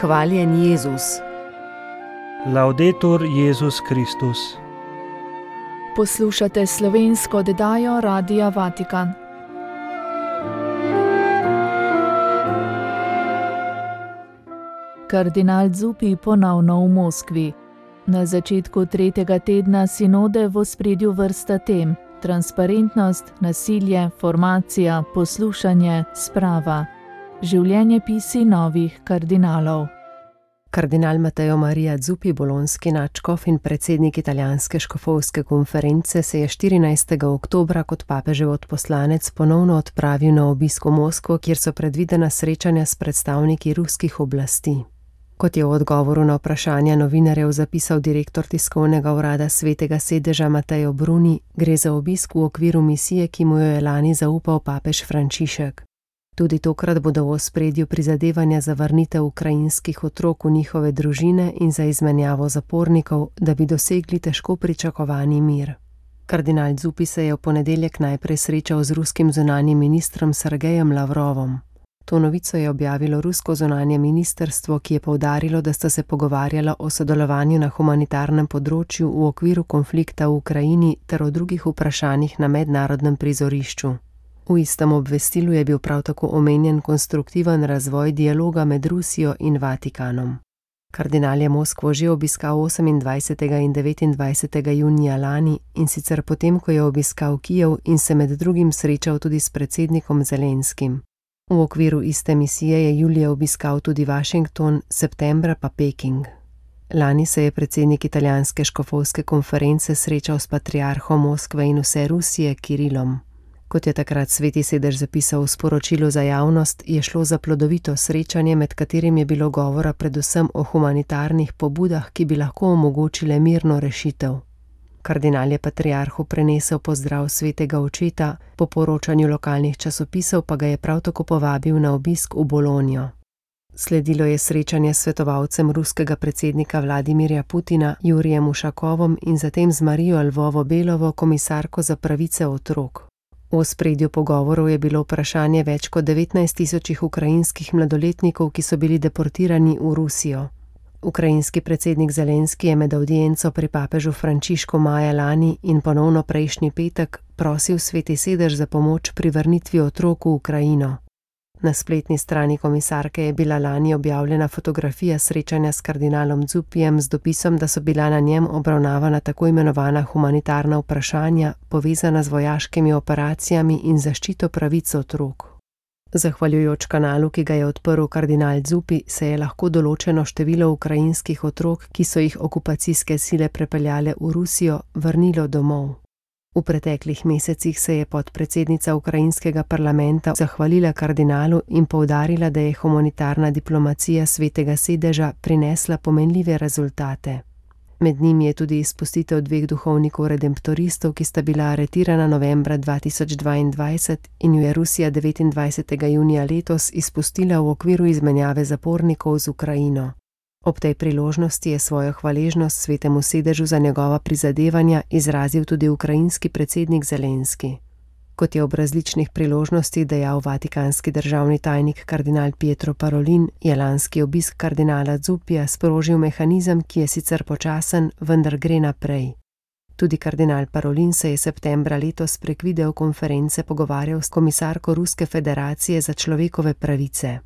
Hvaljen Jezus. Laudetur Jezus Kristus. Poslušate slovensko oddajo Radia Vatikan. Kardinal Zuppi ponovno v Moskvi. Na začetku tretjega tedna sinode v ospredju vrsta tem: transparentnost, nasilje, formacija, poslušanje, sprava. Življenjepisi novih kardinalov. Kardinal Matteo Maria Zuppi, bolonski nadškof in predsednik italijanske škofovske konference, se je 14. oktobra kot papežev odposlanec ponovno odpravil na obisk v Moskvo, kjer so predvidena srečanja s predstavniki ruskih oblasti. Kot je v odgovoru na vprašanja novinarjev zapisal direktor tiskovnega urada Svetega sedeža Matteo Bruni, gre za obisk v okviru misije, ki mu jo je lani zaupal papež Frančišek. Tudi tokrat bodo v ospredju prizadevanja za vrnitev ukrajinskih otrok v njihove družine in za izmenjavo zapornikov, da bi dosegli težko pričakovani mir. Kardinal Zuppi se je v ponedeljek najprej srečal z ruskim zunanjim ministrom Sergejem Lavrovom. To novico je objavilo rusko zunanje ministrstvo, ki je poudarilo, da sta se pogovarjala o sodelovanju na humanitarnem področju v okviru konflikta v Ukrajini ter o drugih vprašanjih na mednarodnem prizorišču. V istem obvestilu je bil prav tako omenjen konstruktiven razvoj dialoga med Rusijo in Vatikanom. Kardinal je Moskvo že obiskal 28. in 29. junija lani, in sicer potem, ko je obiskal Kijev in se med drugim srečal tudi s predsednikom Zelenskim. V okviru iste misije je julija obiskal tudi Washington, septembra pa Peking. Lani se je predsednik italijanske škofovske konference srečal s patriarhom Moskve in vse Rusije Kirilom. Kot je takrat Sveti sedež zapisal v sporočilu za javnost, je šlo za plodovito srečanje, med katerim je bilo govora predvsem o humanitarnih pobudah, ki bi lahko omogočile mirno rešitev. Kardinal je patriarhu prenesel pozdrav svetega očeta, po poročanju lokalnih časopisov pa ga je prav tako povabil na obisk v Bologno. Sledilo je srečanje s svetovalcem ruskega predsednika Vladimirja Putina, Jurijem Ušakovom, in zatem z Marijo Lvovo-Belovo, komisarko za pravice otrok. V ospredju pogovorov je bilo vprašanje več kot 19.000 ukrajinskih mladoletnikov, ki so bili deportirani v Rusijo. Ukrajinski predsednik Zelenski je med avdienco pri papežu Frančišku maja lani in ponovno prejšnji petek prosil Sveti sedež za pomoč pri vrnitvi otrok v Ukrajino. Na spletni strani komisarke je bila lani objavljena fotografija srečanja s kardinalom Zuppijem z dopisom, da so bila na njem obravnavana tako imenovana humanitarna vprašanja, povezana z vojaškimi operacijami in zaščito pravic otrok. Zahvaljujoč kanalu, ki ga je odprl kardinal Zuppi, se je lahko določeno število ukrajinskih otrok, ki so jih okupacijske sile prepeljale v Rusijo, vrnilo domov. V preteklih mesecih se je podpredsednica ukrajinskega parlamenta zahvalila kardinalu in poudarila, da je humanitarna diplomacija Svetega sedeža prinesla pomenljive rezultate. Med njimi je tudi izpustitev 2 duhovnikov redemptoristov, ki sta bila aretirana novembra 2022 in jo je Rusija 29. junija letos izpustila v okviru izmenjave zapornikov z Ukrajino. Ob tej priložnosti je svojo hvaležnost Svetemu sedežu za njegova prizadevanja izrazil tudi ukrajinski predsednik Zelenski. Kot je ob različnih priložnostih dejal vatikanski državni tajnik kardinal Pietro Parolin, je lanski obisk kardinala Zuppija sprožil mehanizem, ki je sicer počasen, vendar gre naprej. Tudi kardinal Parolin se je septembra letos prek videokonference pogovarjal s komisarko Ruske federacije za človekove pravice.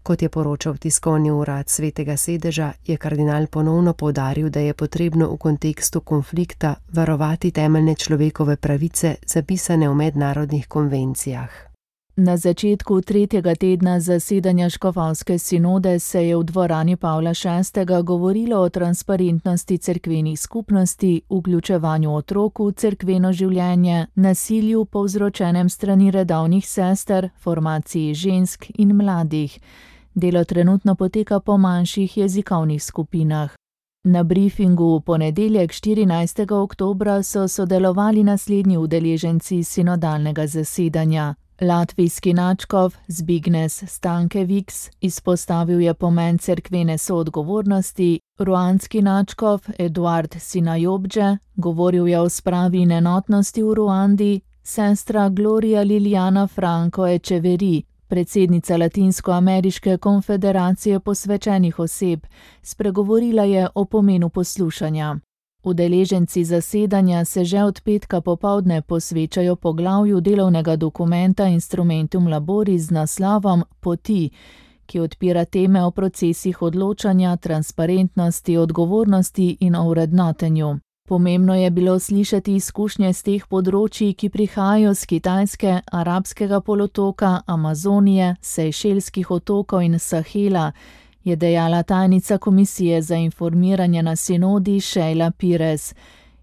Kot je poročal tiskovni urad Svetega sedeža, je kardinal ponovno poudaril, da je potrebno v kontekstu konflikta varovati temeljne človekove pravice, zapisane v mednarodnih konvencijah. Na začetku tretjega tedna zasedanja škofovske sinode se je v dvorani Pavla VI. Govorilo o transparentnosti cerkvenih skupnosti, vključevanju otrok v cerkveno življenje, nasilju povzročenem strani redovnih sester, formaciji žensk in mladih. Delo trenutno poteka po manjših jezikovnih skupinah. Na briefingu v ponedeljek 14. oktobra so sodelovali naslednji udeleženci sinodalnega zasedanja. Latvijski nadškof Zbignes Stankevics izpostavil je pomen cerkvene soodgovornosti, ruandski nadškof Eduard Sinajobdže govoril je o spravi in enotnosti v Ruandi, sestra Gloria Liliana Franco Echeverri predsednica Latinsko-ameriške konfederacije posvečenih oseb. Spregovorila je o pomenu poslušanja. Udeleženci zasedanja se že od petka popoldne posvečajo poglavju delovnega dokumenta Instrumentum Laboris z naslovom Poti, ki odpira teme o procesih odločanja, transparentnosti, odgovornosti in o vrednotenju. Pomembno je bilo slišati izkušnje z teh področij, ki prihajajo z Kitajske, Arabskega polotoka, Amazonije, Sejšelskih otokov in Sahela, je dejala tajnica Komisije za informiranje na sinodi Sheila Pires.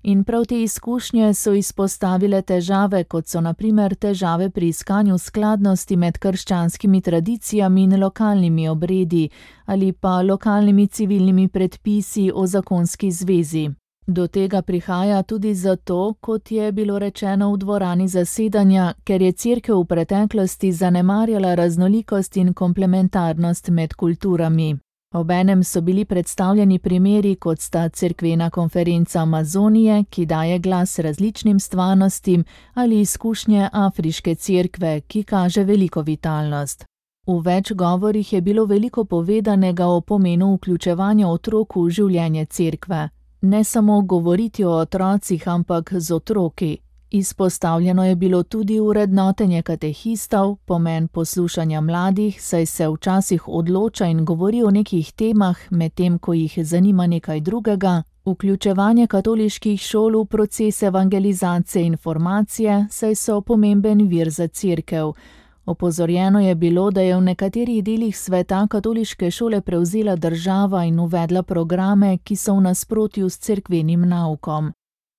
In prav te izkušnje so izpostavile težave, kot so na primer težave pri iskanju skladnosti med krščanskimi tradicijami in lokalnimi obredi ali pa lokalnimi civilnimi predpisi o zakonski zvezi. Do tega prihaja tudi zato, kot je bilo rečeno v dvorani zasedanja, ker je Cerkev v preteklosti zanemarjala raznolikost in komplementarnost med kulturami. Obenem so bili predstavljeni primeri, kot sta cerkvena konferenca Amazonije, ki daje glas različnim stvarnostim, ali izkušnje Afriške cerkve, ki kaže veliko vitalnost. V več govorih je bilo veliko povedanega o pomenu vključevanja otrok v življenje cerkve. Ne samo govoriti o otrocih, ampak z otroki. Izpostavljeno je bilo tudi vrednotenje katehistov, pomen poslušanja mladih, saj se včasih odloča in govori o nekih temah, medtem ko jih zanima nekaj drugega, vključevanje katoliških šol v proces evangelizacije in formacije, saj so pomemben vir za cerkev. Opozorjeno je bilo, da je v nekaterih delih sveta katoliške šole prevzela država in uvedla programe, ki so v nasprotju s cerkvenim naukom.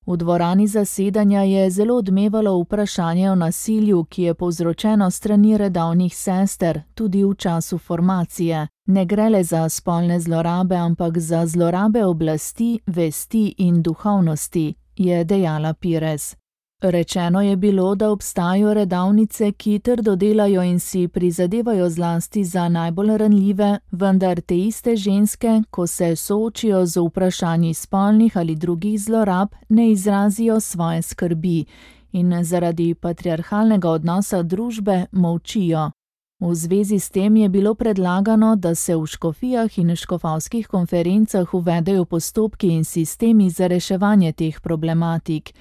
V dvorani zasedanja je zelo odmevalo vprašanje o nasilju, ki je povzročeno strani redovnih sester, tudi v času formacije. Ne gre le za spolne zlorabe, ampak za zlorabe oblasti, vesti in duhovnosti, je dejala Pires. Rečeno je bilo, da obstajajo redavnice, ki trdo delajo in si prizadevajo zlasti za najbolj ranljive, vendar te iste ženske, ko se soočijo z vprašanji spolnih ali drugih zlorab, ne izrazijo svoje skrbi in zaradi patriarhalnega odnosa družbe molčijo. V zvezi s tem je bilo predlagano, da se v škofijah in škofovskih konferencah uvedejo postopki in sistemi za reševanje teh problematik.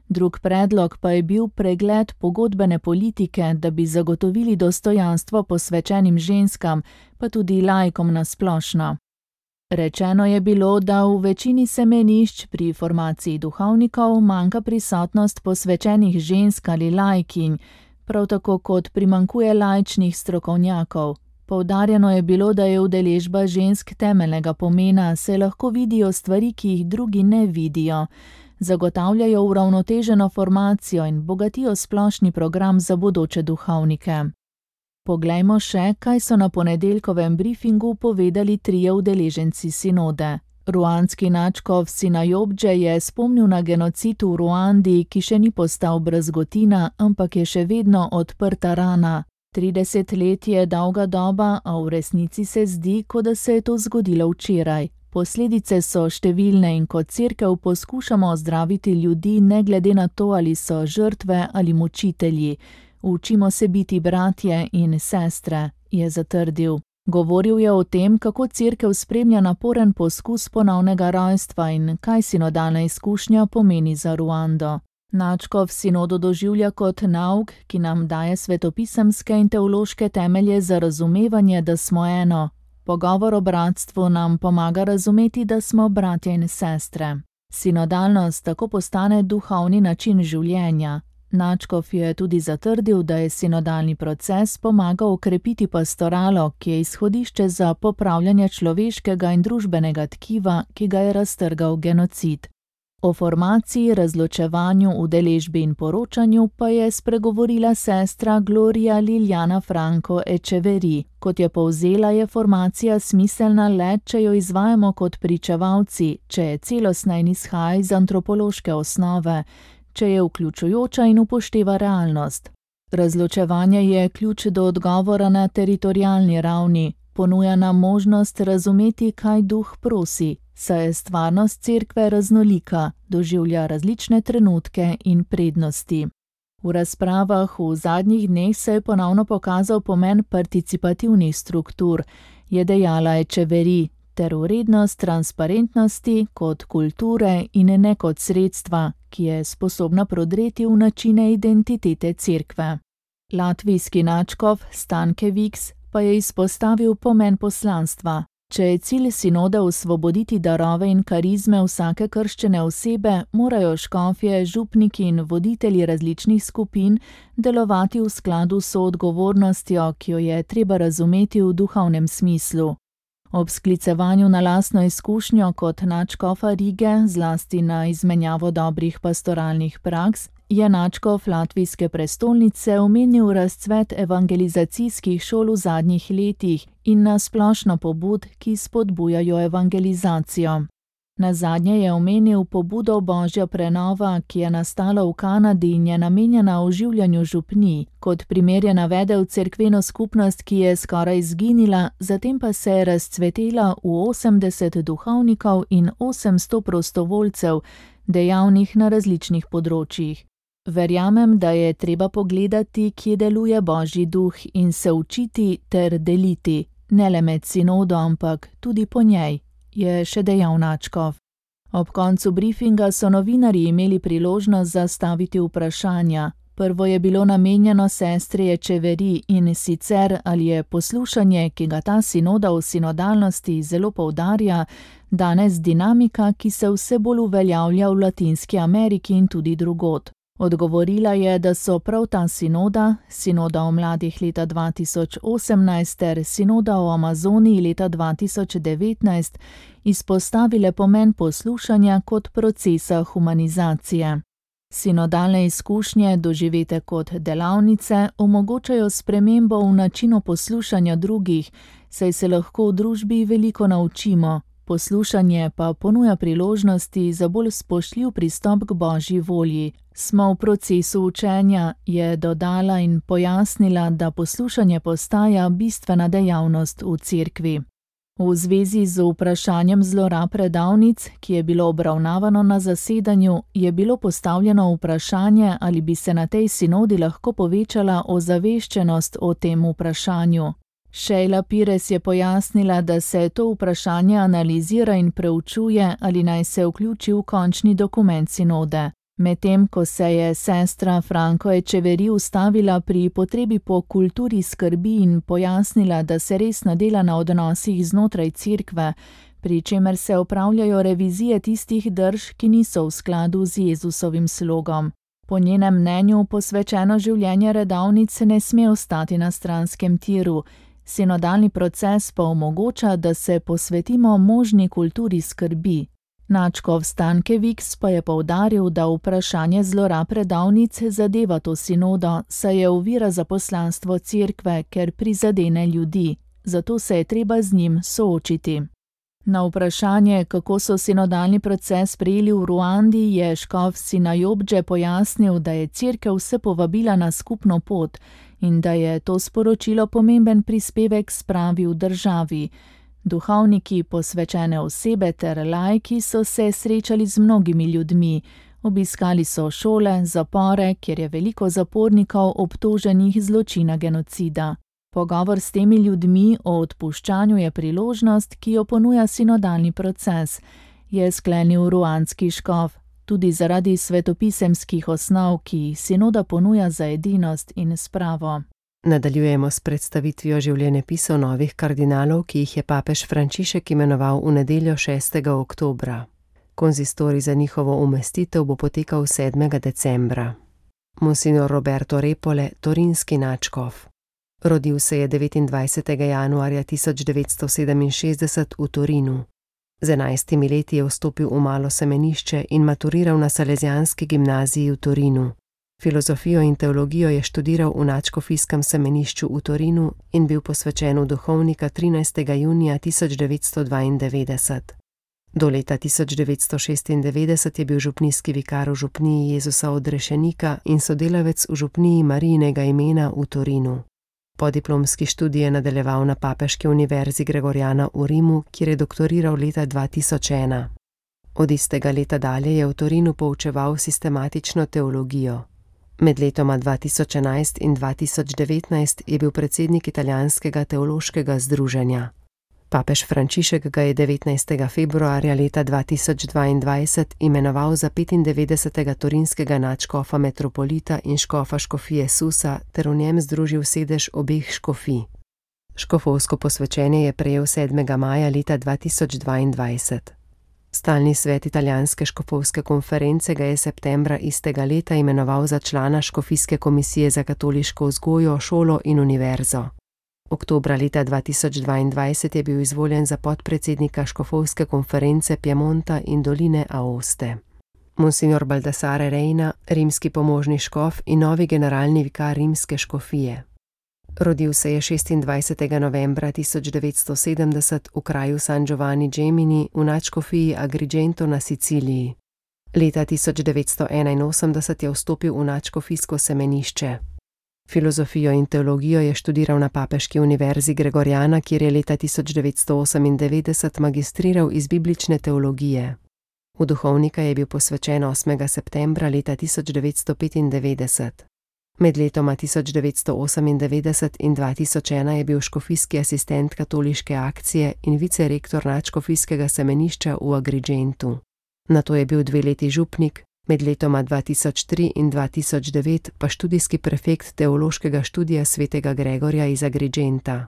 Drug predlog pa je bil pregled pogodbene politike, da bi zagotovili dostojanstvo posvečenim ženskam, pa tudi laikom na splošno. Rečeno je bilo, da v večini semenišč pri formaciji duhovnikov manjka prisotnost posvečenih žensk ali laikinj, prav tako kot primanjkuje laičnih strokovnjakov. Poudarjeno je bilo, da je udeležba žensk temeljnega pomena, saj lahko vidijo stvari, ki jih drugi ne vidijo. Zagotavljajo uravnoteženo formacijo in bogatijo splošni program za bodoče duhovnike. Poglejmo še, kaj so na ponedeljkovem briefingu povedali trije udeleženci sinode. Ruandski nadškof Sinayobdže je spomnil na genocid v Ruandi, ki še ni postal brazgotina, ampak je še vedno odprta rana. 30 let je dolga doba, a v resnici se zdi, kot da se je to zgodilo včeraj. Posledice so številne in kot cerkev poskušamo ozdraviti ljudi ne glede na to, ali so žrtve ali mučitelji. Učimo se biti bratje in sestre, je zatrdil. Govoril je o tem, kako cerkev spremlja naporen poskus ponovnega rojstva in kaj sinodalna izkušnja pomeni za Ruando. Nadškof sinodo doživlja kot nauk, ki nam daje svetopisemske in teološke temelje za razumevanje, da smo eno. Pogovor o bratstvu nam pomaga razumeti, da smo bratje in sestre. Sinodalnost tako postane duhovni način življenja. Nadškof je tudi zatrdil, da je sinodalni proces pomagal okrepiti pastoralo, ki je izhodišče za popravljanje človeškega in družbenega tkiva, ki ga je raztrgal genocid. O formaciji, razločevanju, udeležbi in poročanju pa je spregovorila sestra Gloria Liljana Franco Echeverri. Kot je povzela, je formacija smiselna le, če jo izvajamo kot pričevalci, če je celostna in izhaja iz antropološke osnove, če je vključujoča in upošteva realnost. Razločevanje je ključ do odgovora na teritorialni ravni, ponuja nam možnost razumeti, kaj duh prosi, saj je stvarnost cerkve raznolika, doživlja različne trenutke in prednosti. V razpravah v zadnjih dneh se je ponovno pokazal pomen participativnih struktur, je dejala Echeverry, ter vrednost transparentnosti kot kulture in ne kot sredstva, ki je sposobna prodreti v načine identitete cerkve. Latvijski nadškof Stanke Viks pa je izpostavil pomen poslanstva. Če je cilj sinode osvoboditi darove in karizme vsake krščene osebe, morajo škofje, župniki in voditelji različnih skupin delovati v skladu s soodgovornostjo, ki jo je treba razumeti v duhovnem smislu. Ob sklicevanju na lastno izkušnjo kot nadškofa Rige, zlasti na izmenjavo dobrih pastoralnih praks, je nadškof latvijske prestolnice omenil razcvet evangelizacijskih šol v zadnjih letih in na splošno pobud, ki spodbujajo evangelizacijo. Nazadnje je omenil pobudo Božja prenova, ki je nastala v Kanadi in je namenjena oživljanju župnij. Kot primer je navedel cerkveno skupnost, ki je skoraj izginila, zatem pa se je razcvetela v 80 duhovnikov in 800 prostovoljcev, dejavnih na različnih področjih. Verjamem, da je treba pogledati, kje deluje Božji duh in se učiti ter deliti, ne le med sinodo, ampak tudi po njej, je še dejal nadškof. Ob koncu briefinga so novinarji imeli priložnost zastaviti vprašanja. Prvo je bilo namenjeno sestri Echeverry in sicer, ali je poslušanje, ki ga ta sinoda v sinodalnosti zelo poudarja, danes dinamika, ki se vse bolj uveljavlja v Latinski Ameriki in tudi drugod. Odgovorila je, da so prav ta sinoda, sinoda o mladih leta 2018 ter sinoda o Amazoniji leta 2019, izpostavile pomen poslušanja kot procesa humanizacije. Sinodalne izkušnje, doživete kot delavnice, omogočajo spremembo v načinu poslušanja drugih, saj se lahko v družbi veliko naučimo. Poslušanje pa ponuja priložnosti za bolj spoštljiv pristop k Božji volji. Smo v procesu učenja, je dodala in pojasnila, da poslušanje postaja bistvena dejavnost v cerkvi. V zvezi z vprašanjem zlorab predavnic, ki je bilo obravnavano na zasedanju, je bilo postavljeno vprašanje, ali bi se na tej sinodi lahko povečala ozaveščenost o tem vprašanju. Sheila Pires je pojasnila, da se to vprašanje analizira in preučuje, ali naj se vključi v končni dokument sinode. Medtem ko se je sestra Franco Echeverry ustavila pri potrebi po kulturi skrbi in pojasnila, da se resno dela na odnosih znotraj cerkve, pri čemer se opravljajo revizije tistih drž, ki niso v skladu z Jezusovim slogom. Po njenem mnenju posvečeno življenje redovnic ne sme ostati na stranskem tiru. Sinodalni proces pa omogoča, da se posvetimo možni kulturi skrbi. Nadškof Stanke Viks pa je poudaril, da vprašanje zlorab predavnic zadeva to sinodo, saj je ovira za poslanstvo cerkve, ker prizadene ljudi, zato se je treba z njim soočiti. Na vprašanje, kako so sinodalni proces sprejeli v Ruandi, je škof Sinajobdže pojasnil, da je cerkev vse povabila na skupno pot in da je to sporočilo pomemben prispevek spravi v državi. Duhovniki, posvečene osebe ter laiki so se srečali z mnogimi ljudmi. Obiskali so šole, zapore, kjer je veliko zapornikov obtoženih zločina genocida. Pogovor s temi ljudmi o odpuščanju je priložnost, ki jo ponuja sinodalni proces, je sklenil ruandski škof, tudi zaradi svetopisemskih osnov, ki sinoda ponuja za edinost in spravo. Nadaljujemo s predstavitvijo življenjepisov novih kardinalov, ki jih je papež Frančišek imenoval v nedeljo 6. oktobra. Konzistorij za njihovo umestitev bo potekal 7. decembra. Monsignor Roberto Repole, torinski nadškof. Rodil se je 29. januarja 1967 v Torinu. Z 11 leti je vstopil v malo semenišče in maturiral na Salesijanski gimnaziji v Torinu. Filozofijo in teologijo je študiral v nadškofijskem semenišču v Torinu in bil posvečen v duhovnika 13. junija 1992. Do leta 1996 je bil župnijski vikar v župniji Jezusa Odrešenika in sodelavec v župniji Marijinega imena v Torinu. Podiplomski študij je nadaljeval na Papeški univerzi Gregoriana v Rimu, kjer je doktoriral leta 2001. Od istega leta dalje je v Torinu poučeval sistematično teologijo. Med letoma 2011 in 2019 je bil predsednik Italijanskega teološkega združenja. Papež Frančišek ga je 19. februarja leta 2022 imenoval za 95. torinskega nadškofa metropolita in škofa škofije Susa ter v njem združil sedež obeh škofij. Škofovsko posvečenje je prejel 7. maja leta 2022. Stalni svet Italijanske škofovske konference ga je septembra istega leta imenoval za člana škofijske komisije za katoliško vzgojo, šolo in univerzo. Oktobra leta 2022 je bil izvoljen za podpredsednika škofovske konference Piemonta in doline Aoste. Monsignor Baldassare Reina, rimski pomožni škof in novi generalni vikar rimske škofije. Rodil se je 26. novembra 1970 v kraju San Giovanni Gemini v nadškofiji Agrigento na Siciliji. Leta 1981 je vstopil v nadškofijsko semenišče. Filozofijo in teologijo je študiral na Papeški univerzi Gregoriana, kjer je leta 1998 magistriral iz biblične teologije. V duhovnika je bil posvečen 8. septembra leta 1995. Med letoma 1998 in 2001 je bil škofijski asistent katoliške akcije in vicerektor nadškofijskega semenišča v Agrigentu. Nato je bil 2 leti župnik, med letoma 2003 in 2009 pa študijski prefekt teološkega študija svetega Gregorja iz Agrigenta.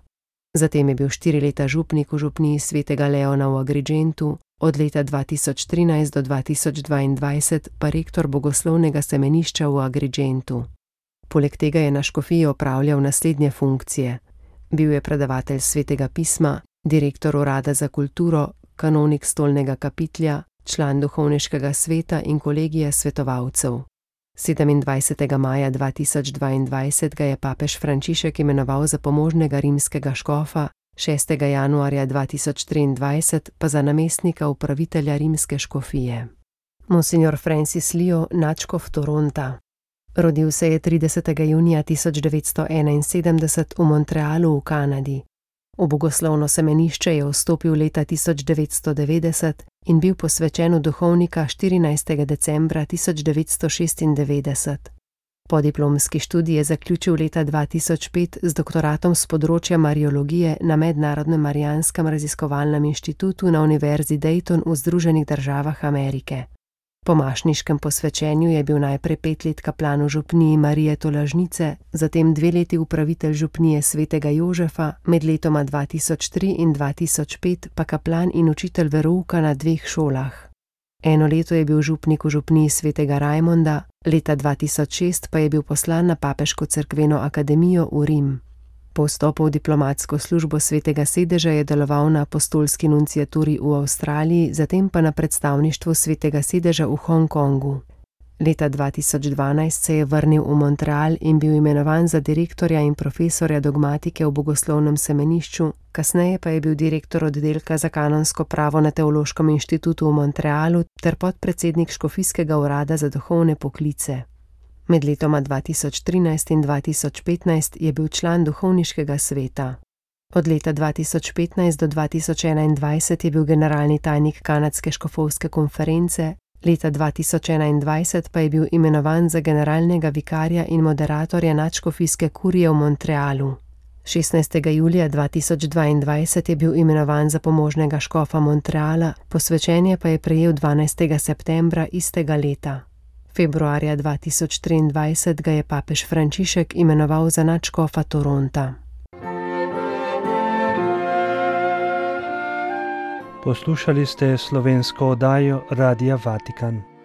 Zatem je bil 4 leta župnik v župniji svetega Leona v Agrigentu, od leta 2013 do 2022 pa rektor bogoslovnega semenišča v Agrigentu. Poleg tega je na škofiji opravljal naslednje funkcije. Bil je predavatelj svetega pisma, direktor urada za kulturo, kanonik stolnega kapitlja, član duhovniškega sveta in kolegija svetovalcev. 27. maja 2022 ga je papež Frančišek imenoval za pomožnega rimskega škofa, 6. januarja 2023 pa za namestnika upravitelja rimske škofije. Monsignor Francis Leo, nadškof Toronta. Rodil se je 30. junija 1971 v Montrealu v Kanadi. V bogoslovno semenišče je vstopil leta 1990 in bil posvečen v duhovnika 14. decembra 1996. Podiplomski študij je zaključil leta 2005 z doktoratom z področja mariologije na Mednarodnem marijanskem raziskovalnem inštitutu na Univerzi Dayton v Združenih državah Amerike. Po mašniškem posvečenju je bil najprej 5 let kaplan v župniji Marije Tolažnice, zatem 2 leti upravitelj župnije svetega Jožefa, med letoma 2003 in 2005 pa kaplan in učitelj verouka na 2 šolah. 1 leto je bil župnik v župniji svetega Raimonda, leta 2006 pa je bil poslan na Papeško cerkveno akademijo v Rim. Po vstopu v diplomatsko službo svetega sedeža je deloval na apostolski nunciaturi v Avstraliji, zatem pa na predstavništvu svetega sedeža v Hongkongu. Leta 2012 se je vrnil v Montreal in bil imenovan za direktorja in profesorja dogmatike v bogoslovnem semenišču, kasneje pa je bil direktor oddelka za kanonsko pravo na Teološkem inštitutu v Montrealu ter podpredsednik škofijskega urada za duhovne poklice. Med letoma 2013 in 2015 je bil član duhovniškega sveta. Od leta 2015 do 2021 je bil generalni tajnik Kanadske škofovske konference, leta 2021 pa je bil imenovan za generalnega vikarja in moderatorja nadškofijske kurije v Montrealu. 16. julija 2022 je bil imenovan za pomožnega škofa Montreala, posvečenje pa je prejel 12. septembra istega leta. Februarja 2023 ga je papež Frančišek imenoval za nadškofa Toronta. Poslušali ste slovensko oddajo Radia Vatikan.